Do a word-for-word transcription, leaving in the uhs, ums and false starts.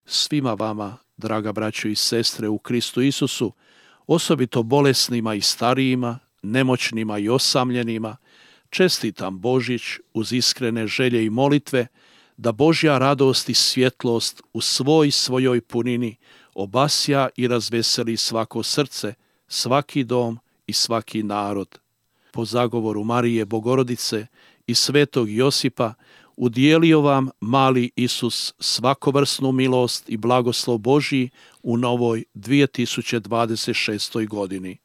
svima vama, draga braćo i sestre u Kristu Isusu, osobito bolesnima i starijima, nemoćnima i osamljenima, čestitam Božić uz iskrene želje i molitve da Božja radost i svjetlost u svoj svojoj punini obasja i razveseli svako srce, svaki dom i svaki narod. Po zagovoru Marije Bogorodice i svetog Josipa udijelio vam mali Isus svakovrsnu milost i blagoslov Božji u novoj dvije tisuće dvadeset šestoj godini.